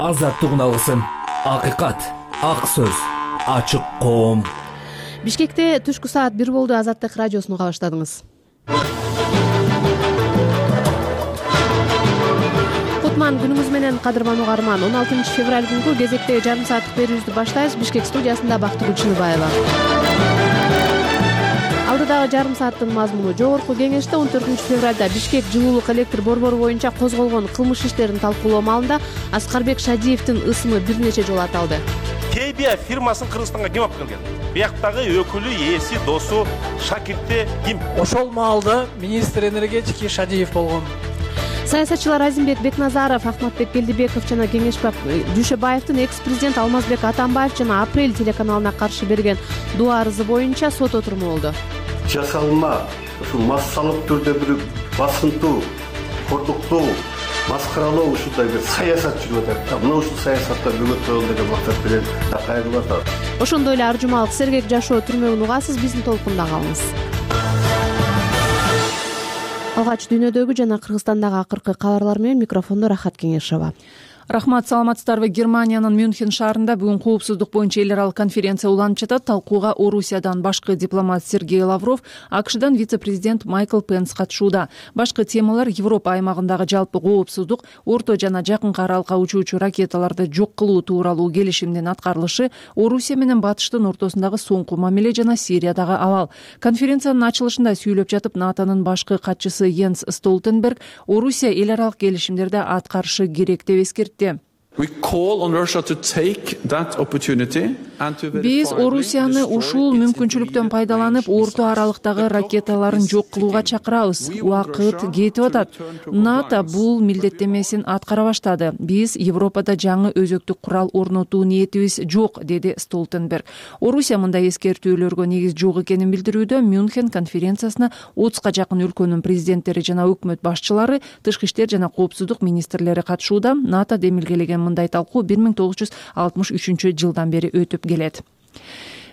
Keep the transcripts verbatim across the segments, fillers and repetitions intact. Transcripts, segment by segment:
азаттык үналысын, акыйкат, ак сөз, ачык коом. Бишкекте түшкү саат бир болду. Азаттык радиосуну уга баштадыңыз. Кутман күнүңүз менен, кадырман угарман. он алтынчы февраль күнгү кезектеги жарым сааттык берүүбүздү баштайбыз. Бишкек студиясында Бактыгүл Чыныбаева. Алдыдагы жарым сааттын мазмуну: жогорку кеңеште он төртүнчү февралда Бишкек жылуулук электр борбору боюнча козголгон кылмыш иштерин талкуулоо маалында Аскарбек Шадиевдин ысымы бир нече жолу аталды. кей би ай фирмасын Кыргызстанга ким алып келген? Бияктагы өкүлү, ээси, досу, шакирти ким? Ошол маалда министр энергетики Шадиев болгон. Саясатчылар Азимбек Бекназаров, Ахматбек Келдибеков жана Кеңешбек Дүйшөбаевдин экс-президент Алмазбек Атамбаев жана Апрель телеканалына каршы берген доо арызы боюнча сот отуруму болду. Жасалма, ушул массалык түрдө бир басынтуу, кордуктуу, маскаралоо ушундай бир саясат жүрүп атат. Мына ушул саясатта бөгөт деген максат менен кайрылып атат. Ошондой эле ар жумалык сергек жашоо түрмөгүн угасыз, биздин толкунда калыңыз. Алгач дүйнөдөгү жана Кыргызстандагы акыркы кабарлар менен микрофондо Рахат Кеңешова. Рахмат, саламатсыздарбы. Германиянын Мюнхен шаарында бүгүн коопсуздук боюнча эл аралык конференция уланып жатат. Талкууга Орусиядан башкы дипломат Сергей Лавров, АКШдан вице-президент Майкл Пенс катышууда. Башкы темалар Европа аймагындагы жалпы коопсуздук, орто жана жакынкы аралыкка учуучу ракеталарды жок кылуу тууралуу келишимдин аткарылышы, Орусия менен Батыштын ортосундагы соңку мамиле жана Сириядагы абал. Конференциянын ачылышында сүйлөп жатып, НАТОнун башкы катчысы Йенс Столтенберг Орусия эл аралык келишимдерди аткарышы керек деп эскертти. Биз Орусияны ушул мүмкүнчүлүктөн пайдаланып, орто аралыктагы ракеталарын жок кылууга чакырабыз. Убакыт кетип атат. НАТО бул милдеттенмесин аткара баштады. Биз Европада жаңы өзөктүк курал орнотуу ниетибиз жок, деди Столтенберг. Орусия мындай эскертүүлөргө негиз жок экенин билдирүүдө. Мюнхен конференциясына отузга жакын өлкөнүн президенттери жана өкмөт башчылары, тышкы иштер жана коопсуздук министрлери катышууда. НАТО демилгелеген мындай талкуу бир миң тогуз жүз алтымыш үчүнчү жылдан бери өтүп келет.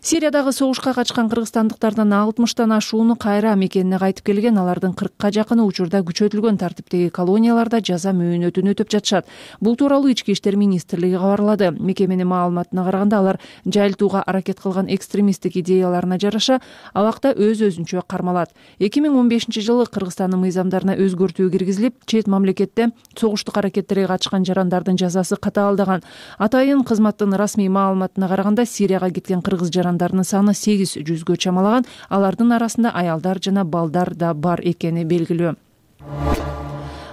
Сириядагы согушка качкан кыргызстандыктардын алтымыштан ашууну кайра мекенине кайтып келген. Алардын кыркка жакыны учурда күчөтүлгөн тартиптеги колонияларда жаза мөөнөтүн өтөп жатышат. Бул тууралуу Ички иштер министрлиги кабарлады. Мекеменин маалыматына караганда, алар жайылтууга аракет кылган экстремисттик идеяларына жараша абакта өз-өзүнчө кармалат. эки миң он бешинчи жылы Кыргызстандын мыйзамдарына өзгөртүү киргизилип, чет мамлекетте согуштук аракеттерге катышкан жарандардын жазасы катаалдаган. Атайын кызматтын расмий маалыматына караганда, Сирияга кеткен кыргыз жарандарынын саны сегиз жүзгө чамалаган. Алардын арасында аялдар жана балдар да бар экени белгилүү.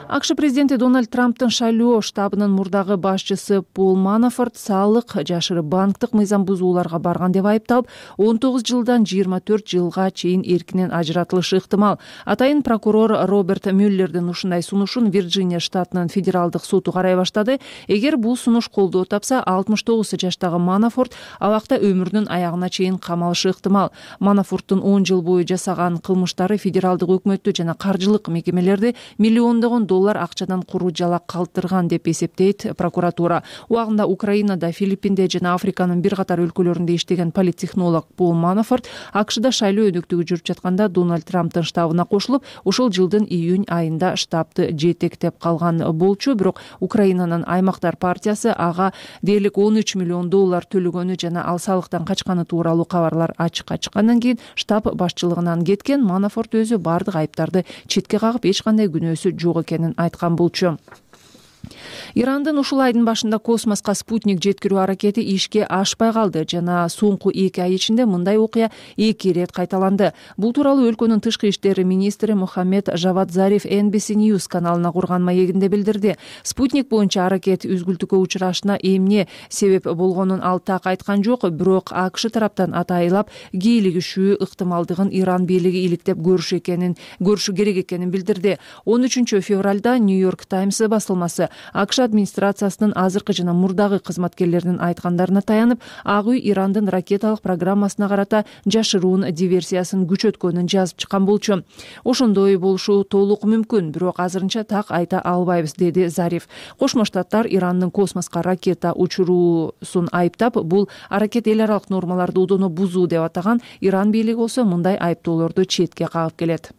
АКШ президенти Дональд Трамптын шайлоо штабынын мурдагы башчысы Пол Манафорт салык жашырып банктык мыйзам бузууларга барган деп айыпталып, он тогуз жылдан жыйырма төрт жылга чейин эркинен ажыратылышы ыктымал. Атайын прокурор Роберт Мюллердин ушундай сунушун Вирджиния штатынын федералдык соту карай баштады. Эгер бул сунуш колдоо тапса, алтымыш тогуз жаштагы Манафорт абакта өмүрүнүн аягына чейин камалышы ыктымал. Манафорттун он жыл бою жасаган кылмыштары федералдык өкмөттү жана каржылык мекемелерди миллиондогон доллар акчадан куру жала калтырган деп эсептейт прокуратура. Убагында Украинада, Филиппинде жана Африканын бир катар өлкөлөрүндө иштеген политтехнолог Пол Манафорт АКШда шайлоо өнөктүгү жүрүп жатканда Дональд Трамптын штабына кошулуп, ушул жылдын июнь айында штабты жетектеп калган болчу. Бирок Украинанын Аймактар партиясы ага дээрлик он үч миллион доллар төлөгөнү жана ал салыктан качканы тууралуу кабарлар ачыкка чыккандан кийин штаб башчылыгынан кеткен. Манафорт өзү бардык айыптарды четке кагып, эч кандай күнөөсү жок экенин айткан болчу. Ирандын ушул айдын башында космоска спутник жеткирүү аракети ишке ашпай калды жана соңку эки ай ичинде мындай окуя эки ирет кайталанды. Бул тууралуу өлкөнүн тышкы иштери министри Мухаммед Жавад Зариф Эн Би Си News каналына курган маегинде билдирди. Спутник боюнча аракет үзгүлтүккө учурашына эмне себеп болгонун ал так айткан жок, бирок АКШ тараптан атайылап кийлигишүү ыктымалдыгын Иран бийлиги иликтеп көрүшү экенин, көрүшү керек экенин билдирди. он үчүнчү февралда Нью-Йорк Таймс басылмасы АКШ администрациясынын азыркы жана мурдагы кызматкерлеринин айткандарына таянып, Ак үй Ирандын ракеталык программасына карата жашыруун диверсиясын күчөткөнүн жазып чыккан болчу. Ошондой болушу толук мүмкүн, бирок азырынча так айта албайбыз, деди Зариф. Кошмо Штаттар Ирандын космоска ракета учуруусун айыптап, бул аракет эл аралык нормаларды удоно бузуу деп атаган. Иран бийлиги болсо мындай айыптоолорду четке кагып келет.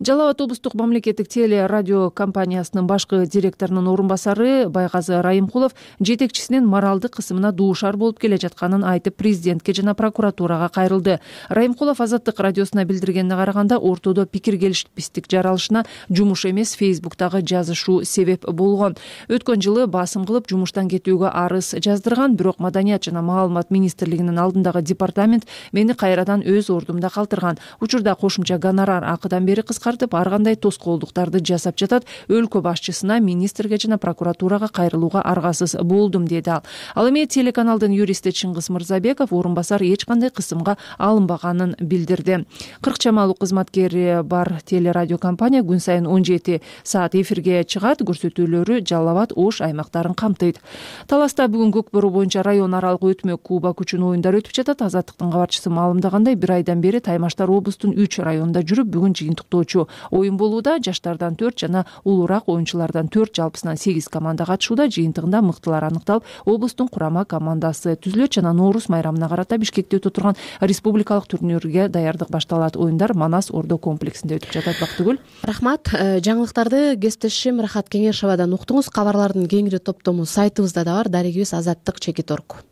Жалал Абад облустук мамлекеттик теле радио компаниясынын башкы директорунун орун басары Байгазы Райымкулов жетекчисинин моралдык кысымына дуушар болуп келе жатканын айтып, президентке жана прокуратурага кайрылды. Райымкулов Азаттык радиосуна билдиргенине караганда, ортодо пикир келишпестик жаралышына жумуш эмес, Фейсбуктагы жазышуу себеп болгон. Өткөн жылы басым кылып жумуштан кетүүгө арыз жаздырган, бирок Маданият жана маалымат министрлигинин алдындагы департамент мени кайрадан өз ордумда калтырган. Учурда кошумча гонорар акыдан бери кыскартып, ар кандай тоскоолдуктарды жасап жатат. Өлкө башчысына, министрге жана прокуратурага кайрылууга аргасыз болдум, деди ал. Ал эми телеканалдын юристи Чыңгыз Мырзабеков орун басар эч кандай кысымга алынбаганын билдирди. кырк чамалуу кызматкери бар телерадио компания күн сайын он жети саат эфирге чыгат. Көрсөтүүлөрү Жалал Абад, Ош аймактарын камтыйт. Таласта бүгүн көк бору боюнча район аралык өтмө Куба күчүн оюндар өтүп жатат. Азаттыктын кабарчысы маалымдагандай, бир айдан бери таймаштар облустун үч районунда жүрүп, бүгүн жыйынтыктоочу оюн болууда. Жаштардан төрт жана улуураак оюнчулардан төрт, жалпысынан сегиз команда катышууда. Жыйынтыгында мыктылар аныкталып, облустун курама командасы түзүлөт жана Ноорус майрамына карата Бишкекте өтө турган республикалык турнирге даярдык башталат. Оюндар Манас Ордо комплексинде өтүп жатат. Бактыгүл. Рахмат. Жаңылыктарды кесиптешим Рахат Кеңешовадан уктуңуз. Кабарлардын кеңири топтому сайтыбызда да бар. Дарегибиз Азаттык чекит орг.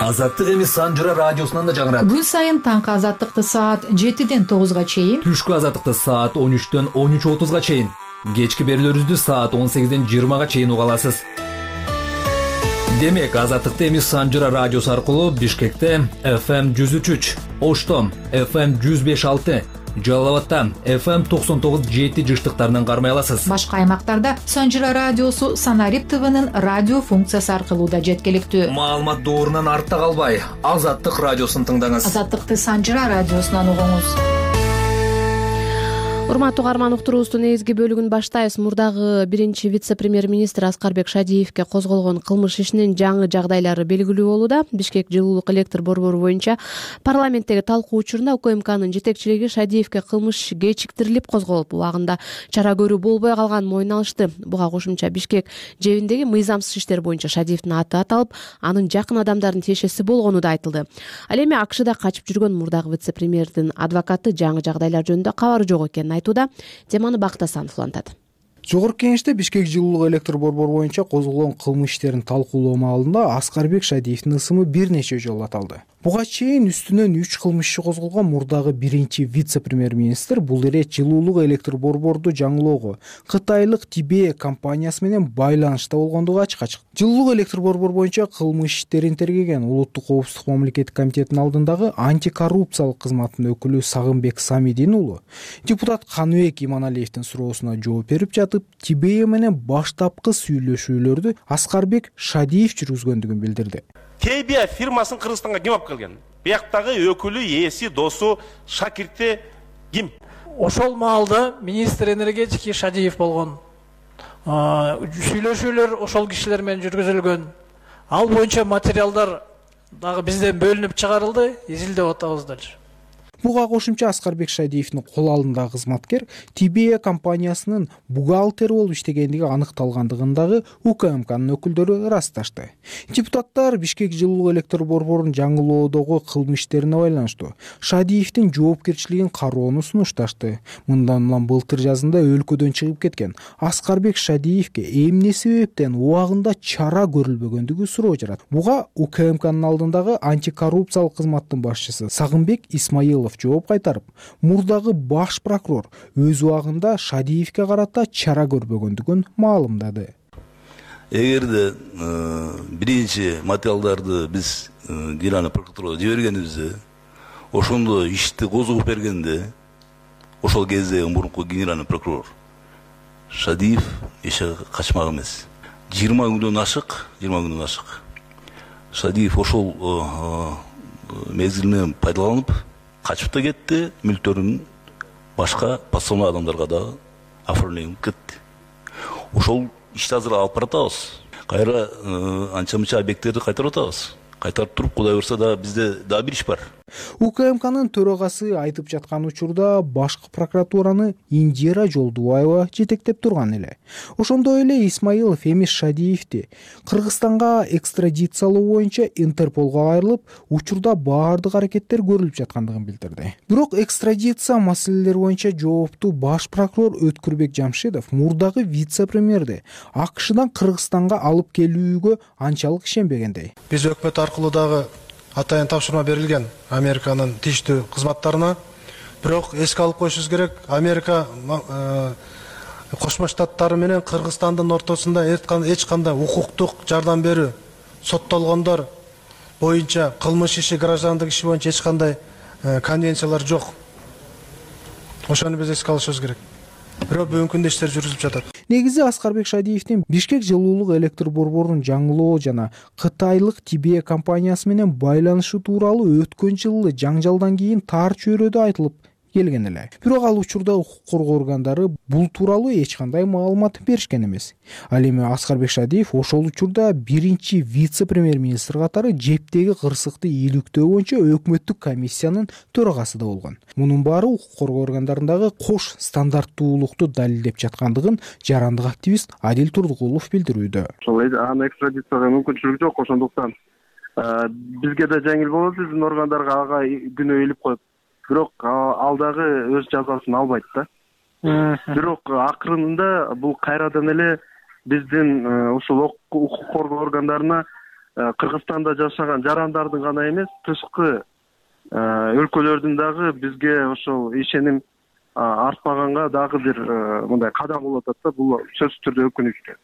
Азаттык эми Санжыра радиосунан да жаңырат. Күн сайын таңкы Азаттыкты саат жетиден тогузга чейин, Түшкү Азаттыкты саат он үчтөн он үч отузга чейин, кечки берүүлөрүбүздү саат он сегизден жыйырмага чейин уга аласыз. Демек, Азаттыкты эми Санжыра радиосу аркылуу Бишкекте эф эм жүз үч үч, Ошто эф эм жүз беш алты, Жалал Абадта эф эм токсон тогуз жети жыштыктарынан кармай аласыз. Башка аймактарда Санжыра радиосу Санарип ТВнын радио функциясы аркылуу да жеткиликтүү. Маалымат доорунан артта калбай, Азаттык радиосун тыңдаңыз. Азаттыкты Санжыра радиосунан угуңуз. Урматтуу угарман, уктуруубуздун негизги бөлүгүн баштайбыз. Мурдагы биринчи вице-премьер-министр Аскарбек Шадиевке козголгон кылмыш ишинин жаңы жагдайлары белгилүү болууда. Бишкек жылуулук электр борбору боюнча парламенттеги талкуу учурунда УКМКнын жетекчилиги Шадиевке кылмыш кечиктирилип козголуп, убагында чара көрүү болбой калганын мойнуна алышты. Буга кошумча Бишкек жебиндеги мыйзамсыз иштер боюнча Шадиевдин аты аталып, анын жакын адамдардын тиешеси болгону да айтылды. Ал эми АКШда качып жүргөн мурдагы вице-премьердин адвокаты жаңы жагдайлар жөнүндө кабары жок экенин айтууда. Теманы Бактасанов улантат. Жогорку кеңеште Бишкек жылуулук электр борбору боюнча козголгон кылмыш иштерин талкуулоо маалында Аскарбек Шадиевдин ысымы бир нече жолу аталды. Буга чейин үстүнөн үч кылмыш иши козголгон мурдагы биринчи вице-премьер-министр бул ирет жылуулук электр борборду жаңылоого кытайлык Тибе компаниясы менен байланышта болгондугу ачыкка чыкты. Жылуулук электр борбору боюнча кылмыш иштерин тергеген Улуттук коопсуздук мамлекеттик комитетинин алдындагы антикоррупциялык кызматтын өкүлү Сагынбек Самидин уулу депутат Каныбек Иманалиевдин суроосуна жооп берип жатып, Тибе менен баштапкы сүйлөшүүлөрдү Аскарбек Шадиев жүргүзгөндүгүн билдирди. Тибе фирмасын Кыргызстанга ким алып келген? Бияктагы өкүлү, ээси, досу, шакирти ким? Ошол маалда министр энергетики Шадиев болгон. Сүйлөшүүлөр ошол кишилер менен жүргүзүлгөн. Ал боюнча материалдар дагы бизден бөлүнүп чыгарылды, изилдеп атабыз дальше. Буга кошумча Аскарбек Шадиевдин кол алдындагы кызматкер Тибе компаниясынын бухгалтери болуп иштегендиги аныкталгандыгындагы УКМКнын өкүлдөрү ырасташты. Депутаттар Бишкек жылуулук электр борборун жаңылоодогу кылмыш иштерине байланыштуу Шадиевдин жоопкерчилигин кароону сунушташты. Мындан улам былтыр жазында өлкөдөн чыгып кеткен Аскарбек Шадиевке эмне себептен убагында чара көрүлбөгөндүгү суроо жарат. Буга УКМКнын алдындагы антикоррупциялык кызматтын башчысы Сагынбек Исмаилов жооп кайтарып, мурдагы баш прокурор өз убагында Шадиевке карата чара көрбөгөндүгүн маалымдады. Эгерде биринчи материалдарды биз Генеральный прокуратурага жибергенибизде, ошондо ишти козгоп бергенде, ошол кезде мурунку генеральный прокурор Шадиев эче качмак эмес. жыйырма күндөн ашык, жыйырма күндөн ашык. Шадиев ошол мезгилинен пайдаланып качып да кетти, мүлктөрүн башка подставной адамдарга да оформленип кетти. Ошол ишти азыр алып баратабыз. Кайра анча-мынча объекттерди кайтарып атабыз. кайтарып туруп, Кудай буюрса дагы бизде дагы бир иш бар. УКМКнын төрагасы айтып жаткан учурда башкы прокуратураны Индира Жолдубаева жетектеп турган эле. Ошондой эле Исмаилов Эмис Шадиевди Кыргызстанга экстрадициялоо боюнча Интерполго кайрылып, учурда баардык аракеттер көрүлүп жаткандыгын билдирди. Бирок экстрадиция маселелери боюнча жооптуу баш прокурор Өткүрбек Жамшидов мурдагы вице-премьерди АКШдан Кыргызстанга алып келүүгө анчалык ишенбегендей. Биз өкмөт аркылуу дагы атайын тапшырма берилген Американын тийиштүү кызматтарына. Бирок эске алып коюшубуз керек, Америка Кошмо Штаттары менен Кыргызстандын ортосунда эч кандай укуктук жардам берүү, соттолгондор боюнча кылмыш иши, граждандык иши боюнча эч кандай конвенциялар жок. Ошону биз эске алышыбыз керек. Бирок бүгүнкү күндө иштер жүрүзүп жатат. Негизи Аскарбек Шадиевдин Бишкек жылуулук электр борборун жаңылоо жана Кытайлык Тибе компаниясы менен байланышы тууралуу өткөн жылы жаңжалдан кийин тар чөйрөдө айтылып келген эле. Бирок ал учурда укук коргоо органдары бул тууралуу эч кандай маалымат беришкен эмес. Ал эми Аскарбек Шадиев ошол учурда биринчи вице-премьер-министр катары жептеги кырсыкты ийгиликтөө боюнча өкмөттүк комиссиянын төрагасы да болгон. Мунун баары укук коргоо органдарындагы кош стандарттуулукту далилдеп жаткандыгын жарандык активист Адил Турдукулов билдирүүдө. Ошол аны экстрадицияга мүмкүнчүлүк жок, ошондуктан бизге да жеңил болот, биздин органдарга ага күнөө илип коет. Бирок ал дагы өз жазасын албайт да. Бирок акырында бул кайрадан эле биздин ушул укук коргоо органдарына Кыргызстанда жашаган жарандардын гана эмес, тышкы өлкөлөрдүн дагы бизге ошол ишеним артпаганга дагы бир мындай кадам болуп атат да. Бул сөзсүз түрдө өкүнүчтүү.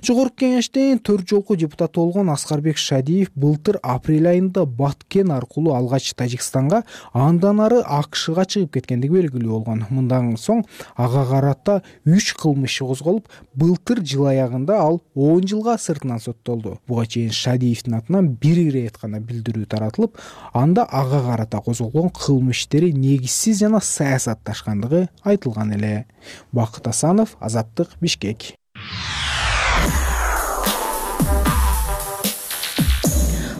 Жогорку Кеңештин төрт жолку депутаты болгон Аскарбек Шадиев былтыр апрель айында Баткен аркылуу алгач Тажикстанга, андан ары АКШга чыгып кеткендиги белгилүү болгон. Мындан соң ага карата үч кылмыш козголуп, былтыр жыл аягында ал он жылга сыртынан соттолду. Буга чейин Шадиевдин атынан бир ирет гана билдирүү таратылып, анда ага карата козголгон кылмыш иштери негизсиз жана саясатташкандыгы айтылган эле. Бакыт Асанов, Азаттык, Бишкек.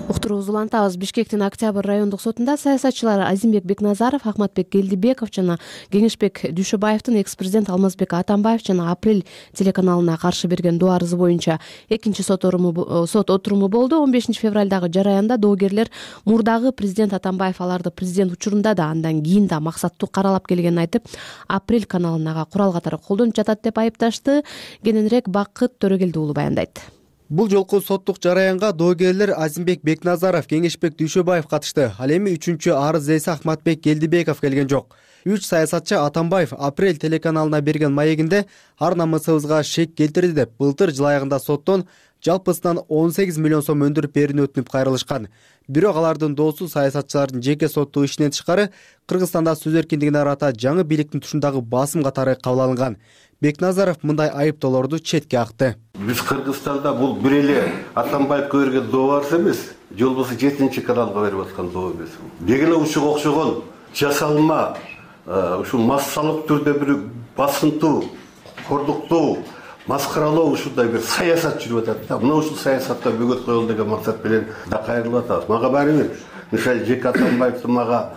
Уктуруубузду улантабыз. Бишкектин Октябрь райондук сотунда саясатчылар Азимбек Бекназаров, Ахматбек Келдибеков жана Кеңешбек Дүйшөбаевдин экс-президент Алмазбек Атамбаев жана Апрель телеканалына каршы берген доо арызы боюнча экинчи сот отуруму болду. он бешинчи февралдагы жараянда доогерлер мурдагы президент Атамбаев аларды президент учурунда да андан кийин да максаттуу каралап келгенин айтып, Апрель каналынага курал катары колдонуп жатат деп айыпташты. Кененирээк Бакыт Төрөгелди уулу баяндайт. Бул жолку соттук жараянга доогерлер Азимбек Бекназаров, Кеңешбек Дүйшөбаев катышты. Ал эми үчүнчү арыз эси Ахматбек Келдибеков келген жок. Үч саясатчы Атамбаев Апрель телеканалына берген маегинде ар намысыбызга шек келтирди деп былтыр жыл аягында соттон жалпысынан он сегиз миллион сом өндүрүп берүүнү өтүнүп кайрылышкан. Бирок алардын доосу саясатчылардын жеке соттуу ишинен тышкары Кыргызстанда сөз эркиндигине арата жаңы бийликтин тушундагы басым катары кабыл алынган. Бекназаров мындай айыптоолорду четке акты. Биз Кыргызстанда бул бир эле Атамбаевге берген доо арыз эмес, жолбосо жетинчи каналга берип аткан доо эмес. Деген ушуга окшогон жасалма, ушул массалык түрдө бир басынтуу, кордуктуу, маскаралоо ушундай бир саясат жүрүп атат да. Мына ушул саясатта бөгөт коелу деген максат менен да кайрылып атабыз. Мага баары бир, мисалы Жеке Атамбаевдин мага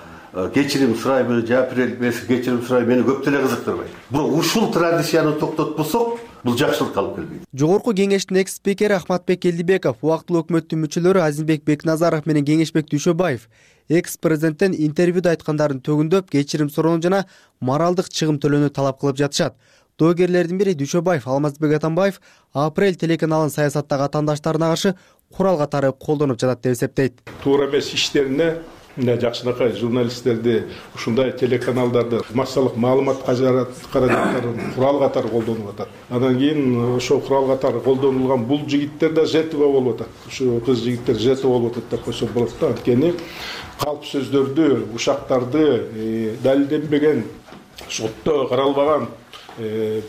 кечирим сурайбы, жапирел беси кечирим сурай мени көп деле кызыктырбайт. Бул ушул традицияны токтотпосок, бул жакшылыкка алып келбейт. Жогорку Кеңештин экс-спикери Ахматбек Келдибеков, убактылуу өкмөттүн мүчөлөрү Азимбек Бекназаров менен Кеңешбек Дүйшөбаев экс-президенттен интервьюда айткандарын төгүндөп, кечирим суроону жана моралдык чыгым төлөөнү талап кылып жатышат. Доогерлердин бири Дүйшөбаев Алмазбек Атамбаев Апрель телеканалын саясаттагы атаандаштарына каршы курал катары колдонуп жатат деп эсептейт. Туура эмес иштерине жакшынакай журналисттерди ушундай телеканалдарды массалык маалымат каражаттарын курал катары колдонуп атат. Андан кийин ошол курал катары колдонулган бул жигиттер да жертва болуп атат. Ушу кыз жигиттер жертва болуп атат деп койсо болот да. Анткени калп сөздөрдү, ушактарды далилденбеген, сотто каралбаган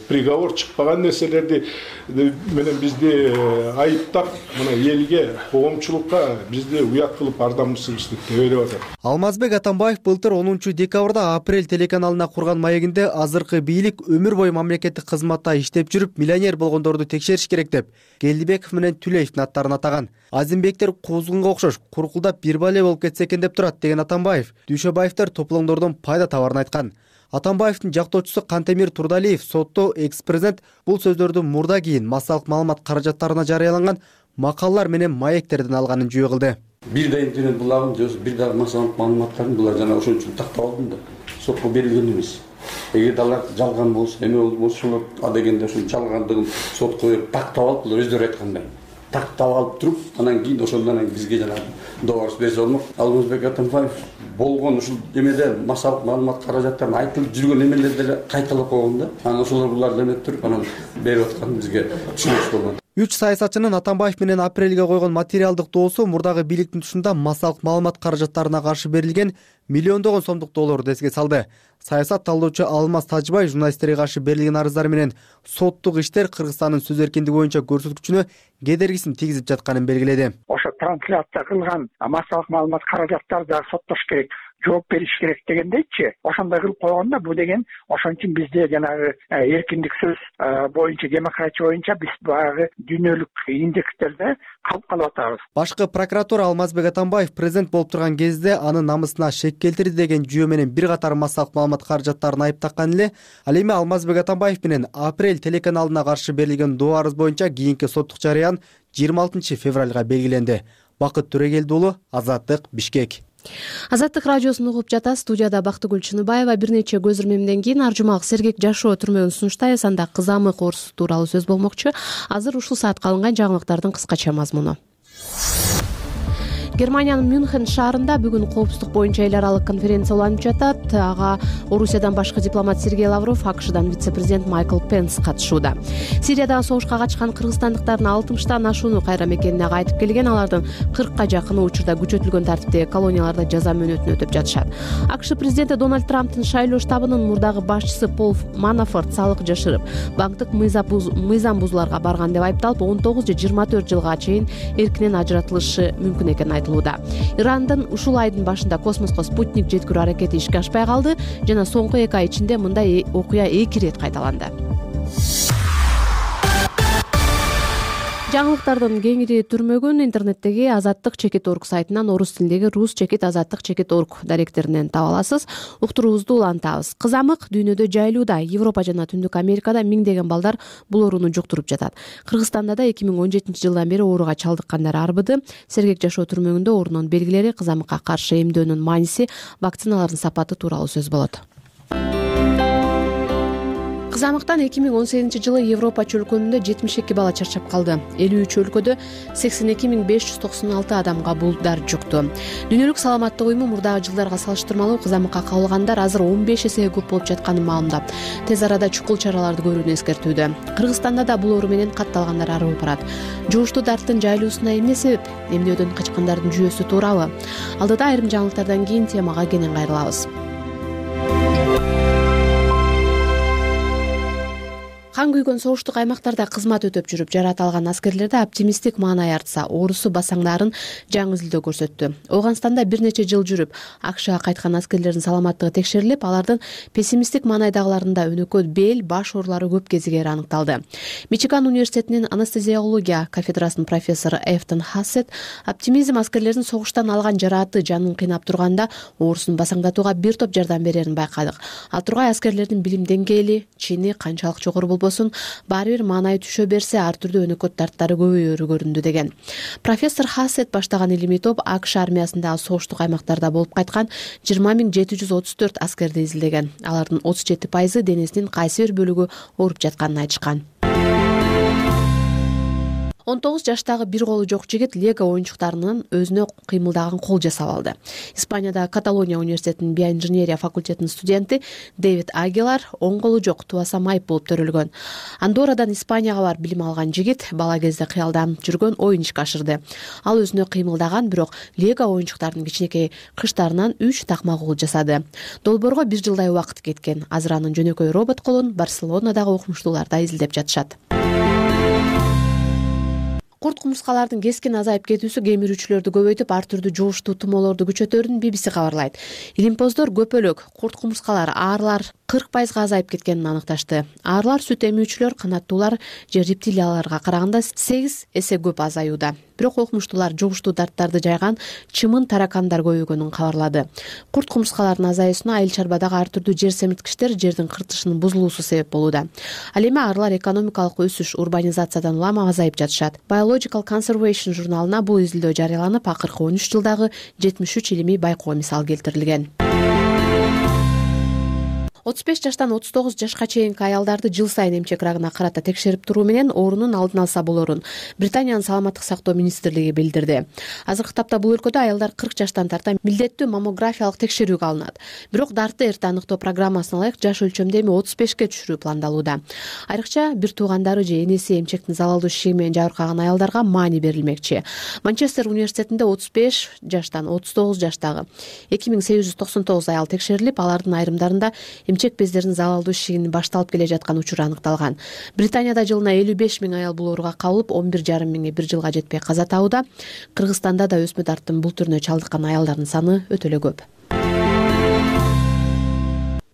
приговор чыкпаган нерселерди менен бизди айыптап мына элге, коомчулукка бизди уят кылып ардамсыздык деп ойлоп атат. Алмазбек Атамбаев былтыр онунчу декабрда Апрель телеканалына курган маегинде азыркы бийлик өмүр бою мамлекеттик кызматта иштеп жүрүп миллионер болгондорду текшериш керек деп Келдибеков менен Түлеевдин аттарын атаган. Азимбектер кузгунга окшош куркулдап бир бале болуп кетсе экен деп турат деген Атамбаев Дүйшөбаевдер топлоңдордон пайда табарын айткан. Атамбаевдин жактоочусу Кантемир Турдалиев сотто экс-президент бул сөздөрдү мурда кийин массалык маалымат каражаттарына жарыяланган макалалар менен маектерден алганын жүйө кылды. Бир да интернет булагын же бир дагы массалык маалыматтарын булар жана ошон үчүн тактап алдым да сотко берилген эмес. Эгер алар жалган болсо, эме болсо ошолор а дегенде ошо жалгандыгын сотко берип тактап алып, булар өздөрү айткандай. Тактап алып туруп, анан кийин ошондон бизге жана добарс берсе болмок. Алмазбек Атамбаев болгон ушул эмеде массалык маалымат каражаттарын айтылып жүргөн эмелерди деле кайталап койгон да. Анан ошолор буларды эметип туруп, анан берип аткан бизге түшүнүксүз болгон. Үч саясатчынын Атамбаев менен Апрелге койгон материалдык доосу мурдагы бийликтин тушунда массалык маалымат каражаттарына каршы берилген миллиондогон сомдук доолорду эске салды. Саясат талдоочу Алмаз Тажбай журналисттерге каршы берилген арыздар менен соттук иштер Кыргызстандын сөз эркиндиги боюнча көрсөткүчүнө кедергисин тийгизип жатканын белгиледи. Ошо трансляция кылган массалык маалымат каражаттарды дагы соттош керек, жооп бериш керек дегендейчи. Ошондой кылып койгондо бул деген ошон үчүн бизде жанагы эркиндик сөз боюнча, демократия боюнча биз баягы дүйнөлүк индекстерде калып калып атабыз. Башкы прокуратура Алмазбек Атамбаев президент болуп турган кезде анын намысына шек келтирди деген жүйө менен бир катар массалык маалымат каражаттарын айыптакан эле. Ал эми Алмазбек Атамбаев менен Апрель телеканалына каршы берилген доо арыз боюнча кийинки соттук жарыян жыйырма алтынчы февралга белгиленди. Бакыт Төрегелди уулу, Азаттык, Бишкек. Азаттык радиосун угуп жатасыз. Студияда Бактыгүл Чыныбаева. Бир нече көз ирмемден кийин ар жумак сергек жашоо түрмөгүн сунуштайбыз. Анда кызамык оорусу тууралуу сөз болмокчу. Азыр ушул саатка алынган жаңылыктардын кыскача мазмуну. Германиянын Мюнхен шаарында бүгүн коопсуздук боюнча эл аралык конференция уланып жатат. Ага Орусиядан башкы дипломат Сергей Лавров, АКШдан вице-президент Майкл Пенс катышууда. Сириядагы согушка качкан кыргызстандыктардын алтымыштан ашууну кайра мекенине кайтып келген. Алардын кыркка жакыны учурда күчөтүлгөн тартиптеги колонияларда жаза мөөнөтүн өтөп жатышат. АКШ президенти Дональд Трамптын шайлоо штабынын мурдагы башчысы Пол Манафорт салык жашырып, банктык мыйзам бузууларга барган деп айыпталып, он тогуз же жыйырма төрт жылга чейин эркинен ажыратылышы мүмкүн экени айтылды. Ирандын ушул айдын башында космоско спутник жеткирүү аракети ишке ашпай калды жана соңку эки ай ичинде мындай окуя эки ирет кайталанды. Жаңылыктардын кеңири түрмөгүн интернеттеги азаттык чекит точка орг сайтынан, орус тилиндеги рус чекит азаттык чекит точка орг даректеринен таба аласыз. Уктуруубузду улантабыз. Кызамык дүйнөдө жайылууда. Европа жана Түндүк Америкада миңдеген балдар бул ооруну жуктуруп жатат. Кыргызстанда да эки миң он жетинчи жылдан бери ооруга чалдыккандар арбыды. Сергек жашоо түрмөгүндө оорунун белгилери, кызамыкка каршы эмдөөнүн мааниси, вакциналардын сапаты тууралуу сөз болот. Кызамыктан эки миң он сегизинчи жылы Европа чөлкөмүндө жетимиш эки бала чарчап калды. элүү үч өлкөдө сексен эки миң беш жүз токсон алты адамга бул дар жукту. Дүйнөлүк саламаттык уюму мурдагы жылдарга салыштырмалуу кызамыкка кабылгандар азыр он беш эсеге көп болуп жатканын маалымдап, тез арада чукул чараларды көрүүнү эскертүүдө. Кыргызстанда да бул оору менен катталгандар арыбып барат. Жугуштуу дарттын жайылуусуна эмне себеп? Эмнөөдөн качкандардын жүйөсү туурабы? Алдыда айрым жаңылыктардан кийин темага кенен кайрылабыз. Кан күйгөн согуштук аймактарда кызмат өтөп жүрүп жараат алган аскерлерде оптимисттик маанай артса, оорусу басаңдарын жаңы изилдөө көрсөттү. Ооганстанда бир нече жыл жүрүп, АКШга кайткан аскерлердин саламаттыгы текшерилип, алардын пессимисттик маанайдагыларында өнөкөт бел, баш оорулары көп кезигери аныкталды. Мичиган университетинин анестезиология кафедрасынын профессору Эфтон Хассет оптимизм аскерлердин согуштан алган жарааты жанын кыйнап турганда оорусун басаңдатууга бир топ жардам берерин байкадык. Ал тургай аскерлердин билим деңгээли, чини канчалык жогору болбосун, баары бир маанай түшө берсе, ар түрдүү өнөкөт дарттары көбөйөрү көрүндү деген. Профессор Хассет баштаган илимий топ АКШ армиясындагы согуштук аймактарда болуп кайткан жыйырма миң жети жүз отуз төрт аскерди изилдеген. Алардын отуз жети пайызы денесинин кайсы бир бөлүгү ооруп жатканын айтышкан. он тогуз жаштагы бир колу жок жигит лего оюнчуктарынын өзүнө кыймылдаган кол жасап алды. Испанияда Каталония университетинин биоинженерия факультетинин студенти Дэвид Агилар оң колу жок тубаса майып болуп төрөлгөн. Андоррадан Испанияга барып билим алган жигит бала кезде кыялданып жүргөн оюн ишке ашырды. Ал өзүнө кыймылдаган, бирок лего оюнчуктарынын кичинекей кыштарынан үч такма кол жасады. Долбоорго бир жылдай убакыт кеткен. Азыр анын жөнөкөй робот колун Барселонадагы окумуштууларда изилдеп жатышат. Курт кумурскалардын кескин азайып кетүүсү кемирүүчүлөрдү көбөйтүп, ар түрдүү жугуштуу тумоолорду күчөтөрүн Би Би Си кабарлайт. Илимпоздор көпөлөк курт кумурскалар, аарлар кырк пайызга азайып кеткенин аныкташты. Аарлар, сүт эмүүчүлөр, канаттуулар же рептилияларга караганда сегиз эсе көп азаюуда. Бирок окумуштуулар жугуштуу дарттарды жайган чымын таракандар көбөйгөнүн кабарлады. Курт кумурскалардын азаюусуна айыл чарбадагы ар түрдүү жер семирткичтер, жердин кыртышынын бузулуусу себеп болууда. Ал эми аарлар экономикалык өсүш, урбанизациядан улам азайып жатышат. Biological Conservation журналына бул изилдөө жарыяланып, акыркы он үч жылдагы жетимиш үч илимий байкоо мисал келтирилген. отуз беш жаштан отуз тогуз жашка чейинки аялдарды жыл сайын эмчек рагына карата текшерип туруу менен оорунун алдын алса болорун Британиянын саламаттык сактоо министрлиги билдирди. Азыркы тапта бул өлкөдө аялдар кырк жаштан тарта милдеттүү маммографиялык текшерүүгө алынат. Бирок дартты эрте аныктоо программасына ылайык жаш өлчөмдө эми отуз бешке түшүрүү пландалууда. Айрыкча бир туугандары же энеси эмчектин залалдуу шишиги менен жабыркаган аялдарга маани берилмекчи. Манчестер университетинде отуз беш жаштан отуз тогуз жаштагы эки миң сегиз жүз токсон тогуз аял текшерилип, алардын айрымдарында эмчек бездеринин залалдуу шишигинин башталып келе жаткан учуру аныкталган. Британияда жылына элүү беш миң аял бул ооруга кабылып, он бир жарым миңи бир жылга жетпей каза табууда. Кыргызстанда да өсмө дарттын бул түрүнө чалдыккан аялдардын саны өтө эле көп.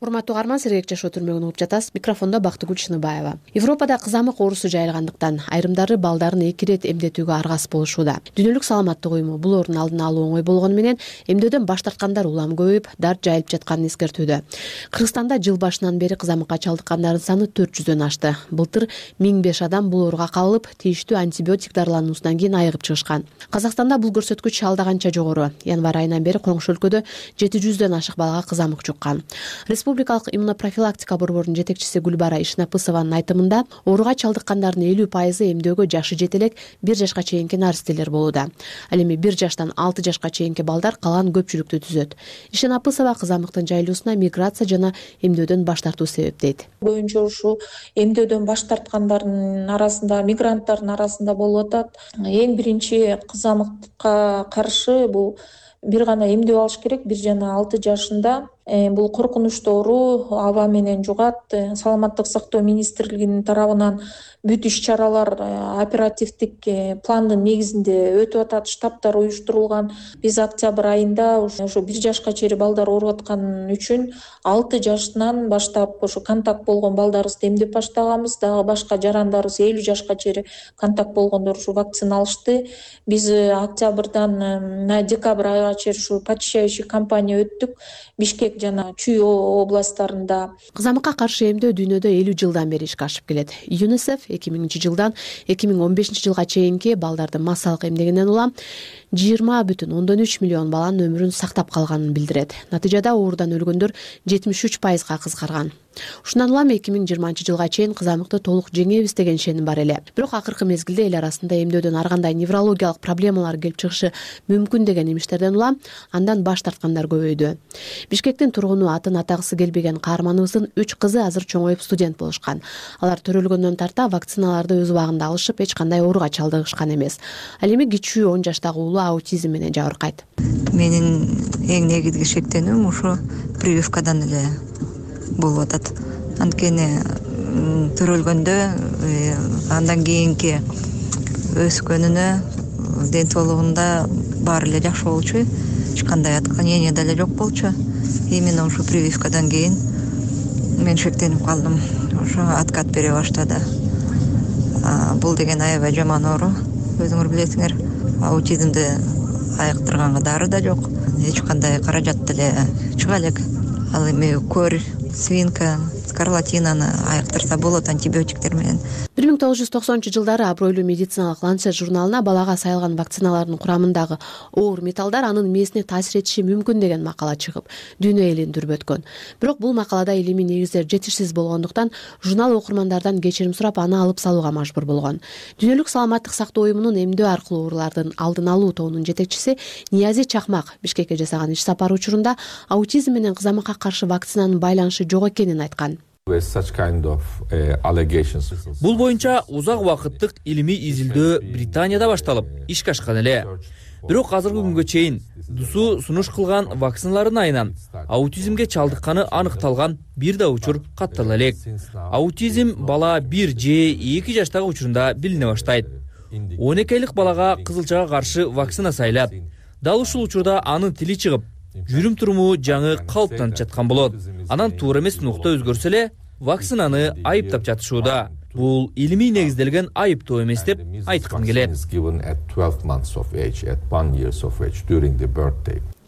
Урматтуу угарман, сергек жашоо түрмөгүн угуп жатасыз. Микрофондо Бактыгүл Шыныбаева. Европада кызамык оорусу жайылгандыктан айрымдары балдарын эки ирет эмдетүүгө аргасыз болушууда. Дүйнөлүк саламаттык уюму бул оорунун алдын алуу оңой болгону менен эмдөөдөн баш тарткандар улам көбөйүп, дарт жайылып жатканын эскертүүдө. Кыргызстанда жыл башынан бери кызамыкка чалдыккандардын саны төрт жүздөн ашты. Былтыр миң беш адам бул ооруга кабылып, тийиштүү антибиотик дарылануусунан кийин айыгып чыгышкан. Казакстанда бул көрсөткүч алда канча жогору. Январь айынан бери коңшу өлкөдө жети жүздөн ашык балага кызамык жуккан. Республикалык иммунопрофилактика борборунун жетекчиси Гүлбара Ишнапысованын айтымында, ооруга чалдыккандардын элүү пайызы эмдөөгө жашы жете элек бир жашка чейинки наристелер болууда. Ал эми бир жаштан алты жашка чейинки балдар калган көпчүлүктү түзөт. Ишнапысова кызамыктын жайылуусуна миграция жана эмдөөдөн баш тартуу себеп дейт. Көбүнчө ушу эмдөөдөн баш тарткандардын арасында, мигранттардын арасында болуп атат. Эң биринчи кызамыкка каршы бул бир гана эмдөө алыш керек, бир жана алты жашында. Бул коркунучтуу оору аба менен жугат. Саламаттык сактоо министрлигинин тарабынан бүт иш-чаралар оперативдик пландын негизинде өтүп атат, штабтар уюштурулган. Биз октябрь айында ошо бир жашка чейин балдар ооруп аткан үчүн алты жаштан баштап ошо контакт болгон балдарыбызды эмдеп баштаганбыз. Дагы башка жарандарыбыз элүү жашка чейин контакт болгондор ушу вакцина алышты. Биз октябрдан декабрь айга чейин ушу почищающий кампания өттүк. Бишкек жана Чүй областтарында. Кызамыкка каршы эмдөө дүйнөдө элүү жылдан бери ишке ашып келет. ЮНИСЕФ эки миңинчи жылдан эки миң он бешинчи жылга чейинки балдарды массалык эмдегенден улам жыйырма бүтүн ондон үч миллион баланын өмүрүн сактап калганын билдирет. Натыйжада оорудан өлгөндөр жетимиш үч пайызга кыскарган. Ушундан улам эки миң жыйырманчы жылга чейин кызамыкты толук жеңебиз деген ишеним бар эле. Бирок акыркы мезгилде эл арасында эмдөөдөн ар кандай неврологиялык проблемалар келип чыгышы мүмкүн деген имиштерден улам андан баш тарткандар көбөйдү. Бишкектин тургуну, атын атагысы келбеген каарманыбыздын үч кызы азыр чоңоюп студент болушкан. Алар төрөлгөндөн тарта вакциналарды өз убагында алышып, эч кандай ооруга чалдыгышкан эмес. Ал эми кичүү он жаштагы уулу аутизм менен жабыркайт. Менин эң негизги шектенүүм ушу прививкадан эле болуп атат. Анткени төрөлгөндө андан кийинки өскөнүнө, ден соолугунда баары эле жакшы болчу. Эч кандай отклонение деле жок болчу. Именно ушу прививкадан кийин мен шектенип калдым. Ошо откат бере баштады. Бул деген аябай жаман оору. Өзүңөр билесиңер, аутизмди айыктырганга дары да жок. Эч кандай каражат деле чыга элек. Ал эми көр свинка, скарлатинаны айыктырса болот антибиотиктер менен. бир миң тогуз жүз токсонунчу жылдары абройлуу медициналык Lancet журналына балага сайылган вакциналардын курамындагы оор металлдар анын мээсине таасир этиши мүмкүн деген макала чыгып, дүйнө элин дүрбөткөн. Бирок бул макалада илимий негиздер жетишсиз болгондуктан журнал окурмандардан кечирим сурап аны алып салууга мажбур болгон. Дүйнөлүк саламаттык сактоо уюмунун эмдөө аркылуу оорулардын алдын алуу тобунун жетекчиси Ниязи Чакмак Бишкекке жасаган иш сапары учурунда аутизм менен кызамыкка каршы вакцинанын байланышы жок экенин айткан. Бул боюнча узак убакыттык илимий изилдөө Британияда башталып, ишке ашкан эле. Бирок азыркы күнгө чейин ДУСУ сунуш кылган вакциналардын айынан аутизмге чалдыкканы аныкталган бир да учур каттала элек. Аутизм бала бир же эки жаштагы учурунда билине баштайт. он эки айлык балага кызылчага каршы вакцина сайылат. Дал ушул учурда анын тили чыгып, жүрүм туруму жаңы калыптанып жаткан болот. Анан туура эмес нукта өзгөрсө эле вакцинаны айыптап жатышууда. Бул илимий негизделген айыптоо эмес деп айткым келет.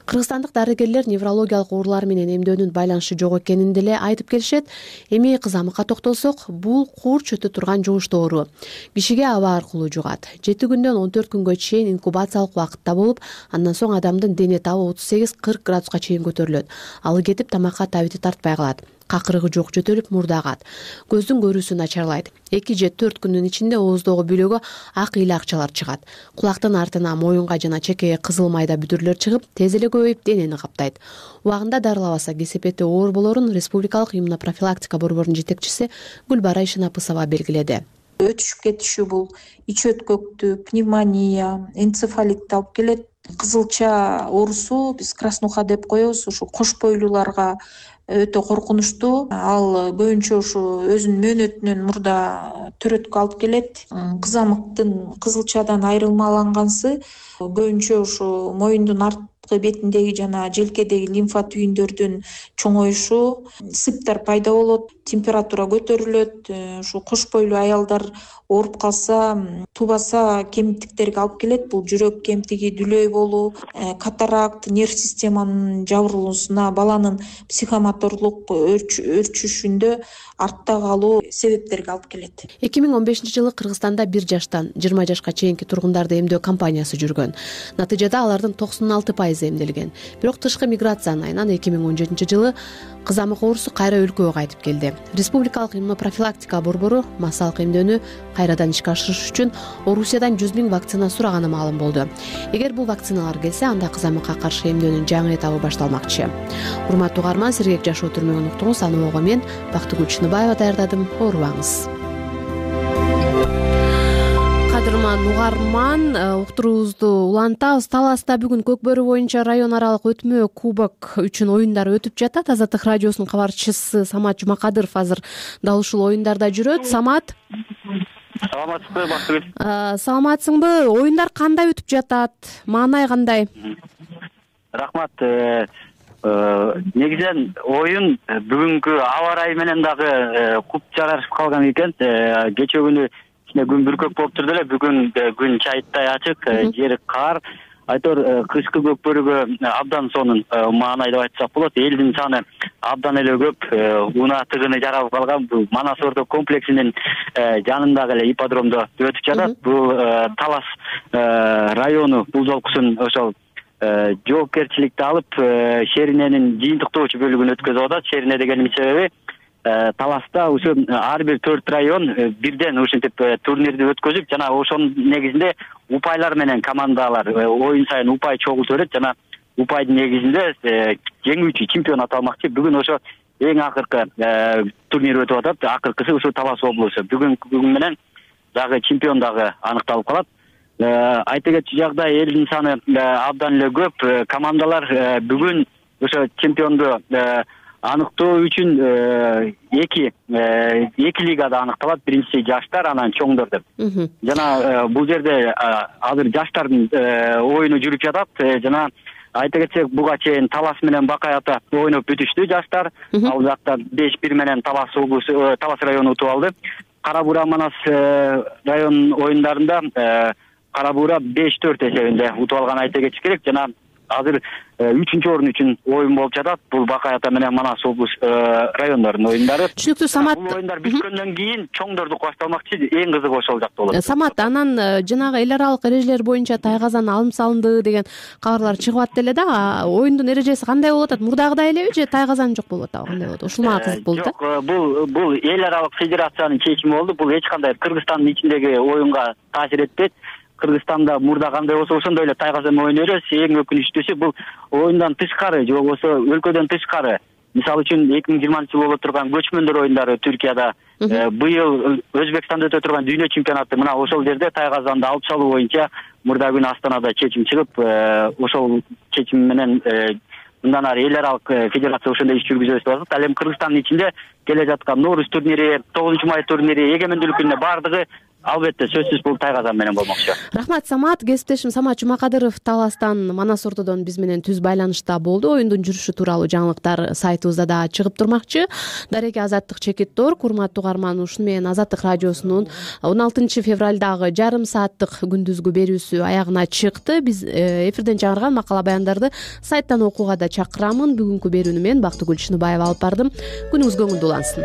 Кыргызстандык дарыгерлер неврологиялык оорулар менен эмдөөнүн байланышы жок экенин деле айтып келишет. Эми кызамыкка токтолсок, бул курч өтө турган жугуштуу оору. Кишиге аба аркылуу жугат. жети күндөн он төрт күнгө чейин инкубациялык убакытта болуп, андан соң адамдын дене табы отуз сегиз кырк градуска чейин көтөрүлөт. Алы кетип тамакка табити тартпай калат. Какырыгы жок жөтөлүп мурда агат. Көздүн көрүүсү начарлайт. эки же төрт күндүн ичинде ооздогу бүлөгө ак ыйлы акчалар чыгат. Кулактын артына, моюнга жана чекеге кызыл майда бүдүрлөр чыгып, тез эле көбөйүп денени каптайт. Убагында дарылабаса кесепети оор болорун Республикалык иммунопрофилактика борборунун жетекчиси Гүлбара Ишинапысова белгиледи. Өтүшүп кетиши бул ич өткөктү, пневмония, энцефалитти алып келет. Кызылча оорусу биз краснуха деп коебуз, ушу кош бойлууларга өтө коркунучтуу. Ал көбүнчө ушу өзүнүн мөөнөтүнөн мурда төрөткө алып келет. Кызамыктын кызылчадан айырмалангансы көбүнчө ушу моюндун арткы бетиндеги жана желкедеги лимфа түйүндөрдүн чоңоюшу, сыптар пайда болот, температура көтөрүлөт. Ушу кош бойлуу аялдар ооруп калса, тубаса кемтиктерге алып келет. Бул жүрөк кемтиги, дүлөй болуу, катаракт, нерв системанын жабырылуусуна, баланын психомоторлук өрчүшүндө артта калуу себептерге алып келет. эки миң он бешинчи жылы Кыргызстанда бир жаштан жыйырма жашка чейинки тургундарды эмдөө кампаниясы жүргөн. Натыйжада алардын токсон алты пайызы эмделген. Бирок тышкы миграциянын айынан эки миң он жетинчи жылы кызамык оорусу кайра өлкөгө кайтып келди. Республикалык иммунопрофилактика борбору массалык эмдөөнү кайрадан ишке ашырыш үчүн Орусиядан жүз миң вакцина сураганы маалым болду. Эгер бул вакциналар келсе, анда кызамыкка каршы эмдөөнүн жаңы этабы башталмакчы. Урматтуу угарман, сергек жашоо түрмөгүн уктуңуз. Аны ого мен Бактыгүл Чыныбаева даярдадым. Оорубаңыз. Кадырман угарман, уктуруубузду улантабыз. Таласта бүгүн Көкбөрү боюнча район аралык өтмө кубок үчүн оюндар өтүп жатат. Азаттык радиосунун кабарчысы Самат Жумакадыров азыр дал ушул оюндарда жүрөт. Самат, саламатсызбы Бактыгүл? Саламатсыңбы? Оюндар кандай өтүп жатат? Маанай кандай? Рахмат. Негизинен оюн бүгүнкү аба ырайы менен дагы куп жарашып калган экен. Кечээ күнү күн бүркөк болуп турду эле, бүгүн күн чайыттай ачык, жери кар. Айтор кышкы Көкбөрүгө абдан сонун маанай деп айтсак болот. Элдин саны абдан эле көп, унаа тыгыны жаралып калган. Бул Манас Ордо комплексинин жанындагы эле ипподромдо өтүп жатат. Бул Талас району узолкусун ошол жоопкерчиликти алып, Шериненин жыйынтыктоочу бөлүгүн өткөзүп атат. Шерине дегенин себеби Таласта ушу ар бир төрт район бирден ушинтип турнирди өткөзүп, жана ошонун негизинде упайлар менен командалар оюн сайын упай чогултуп берет, жана упайдын негизинде жеңүүчү чемпион аталмакчы. Бүгүн ошо эң акыркы турнир өтүп атат. Акыркысы ушу Талас облусу. Бүгүн бүгүн менен дагы чемпион дагы аныкталып калат. Айта кетчү жагдай, элдин саны абдан эле көп. Командалар бүгүн ошо чемпионду аныктоо үчүн эки эки лигада аныкталат. Биринчиси жаштар, анан чоңдор деп. Жана бул жерде азыр жаштардын оюну жүрүп жатат. Жана айта кетсек, буга чейин Талас менен Бакай ата ойноп бүтүштү жаштар. Ал жакта беш бир менен Талас облусу, Талас району утуп алды. Кара Буура Манас район оюндарында Кара Буура беш төрт эсебинде утуп алган айта кетиш керек. Жана азыр үчүнчү орун үчүн оюн болуп жатат. Бул Бакай Ата менен Манас облус райондорунун оюндары. Түшүнүктүү, Самат. Бул оюндар бүткөндөн кийин чоңдордук башталмакчы. Эң кызыгы ошол жакта болот. Самат, анан жанагы эл аралык эрежелер боюнча Тайгазан алым салынды деген кабарлар чыгып атты эле да. Оюндун эрежеси кандай болуп атат? Мурдагыдай элеби же Тайгазан жок болуп атабы? Кандай болот? Ушул мага кызык болду да. Жок, бул бул эл аралык федерациянын чечими болду. Бул эч кандай Кыргызстандын ичиндеги оюнга таасир этпейт. Кыргызстанда мурда кандай болсо ошондой эле Тайгазан оюну өрөбүз. Эң өкүнүчтүүсү бул оюндан тышкары же болбосо өлкөдөн тышкары. Мисалы үчүн эки миң жыйырманчы жылы боло турган көчмөндөр оюндары Түркияда, быйыл Өзбекстанда өтө турган дүйнө чемпионаты мына ошол жерде Тайгазанды алып салуу боюнча мурда күнү Астанада чечим чыгып, ошол чечим менен мындан ары эл аралык федерация ошондой иш жүргүзөбүз деп атат. Ал эми Кыргызстандын ичинде келе жаткан Нооруз турнири, тогузунчу май турнири, эгемендүүлүк күнүнө баардыгы албетте сөзсүз бул Тайгазан менен болмокчу. Рахмат, Самат. Кесиптешим Самат Жумакадыров Таластан, Манас ортодон биз менен түз байланышта болду. Оюндун жүрүшү тууралуу жаңылыктар сайтыбызда да чыгып турмакчы. Дареке Азаттык Чекиттор, курматтуу угарман, ушуну менен Азаттык радиосунун он алтынчы февралдагы жарым сааттык күндүзгү берүүсү аягына чыкты. Биз эфирден чыгарган макала баяндарды сайттан окууга да чакырамын. Бүгүнкү берүүнү мен Бактыгүл Чыныбаева алып бардым. Күнүңүз көңүлдүү улансын.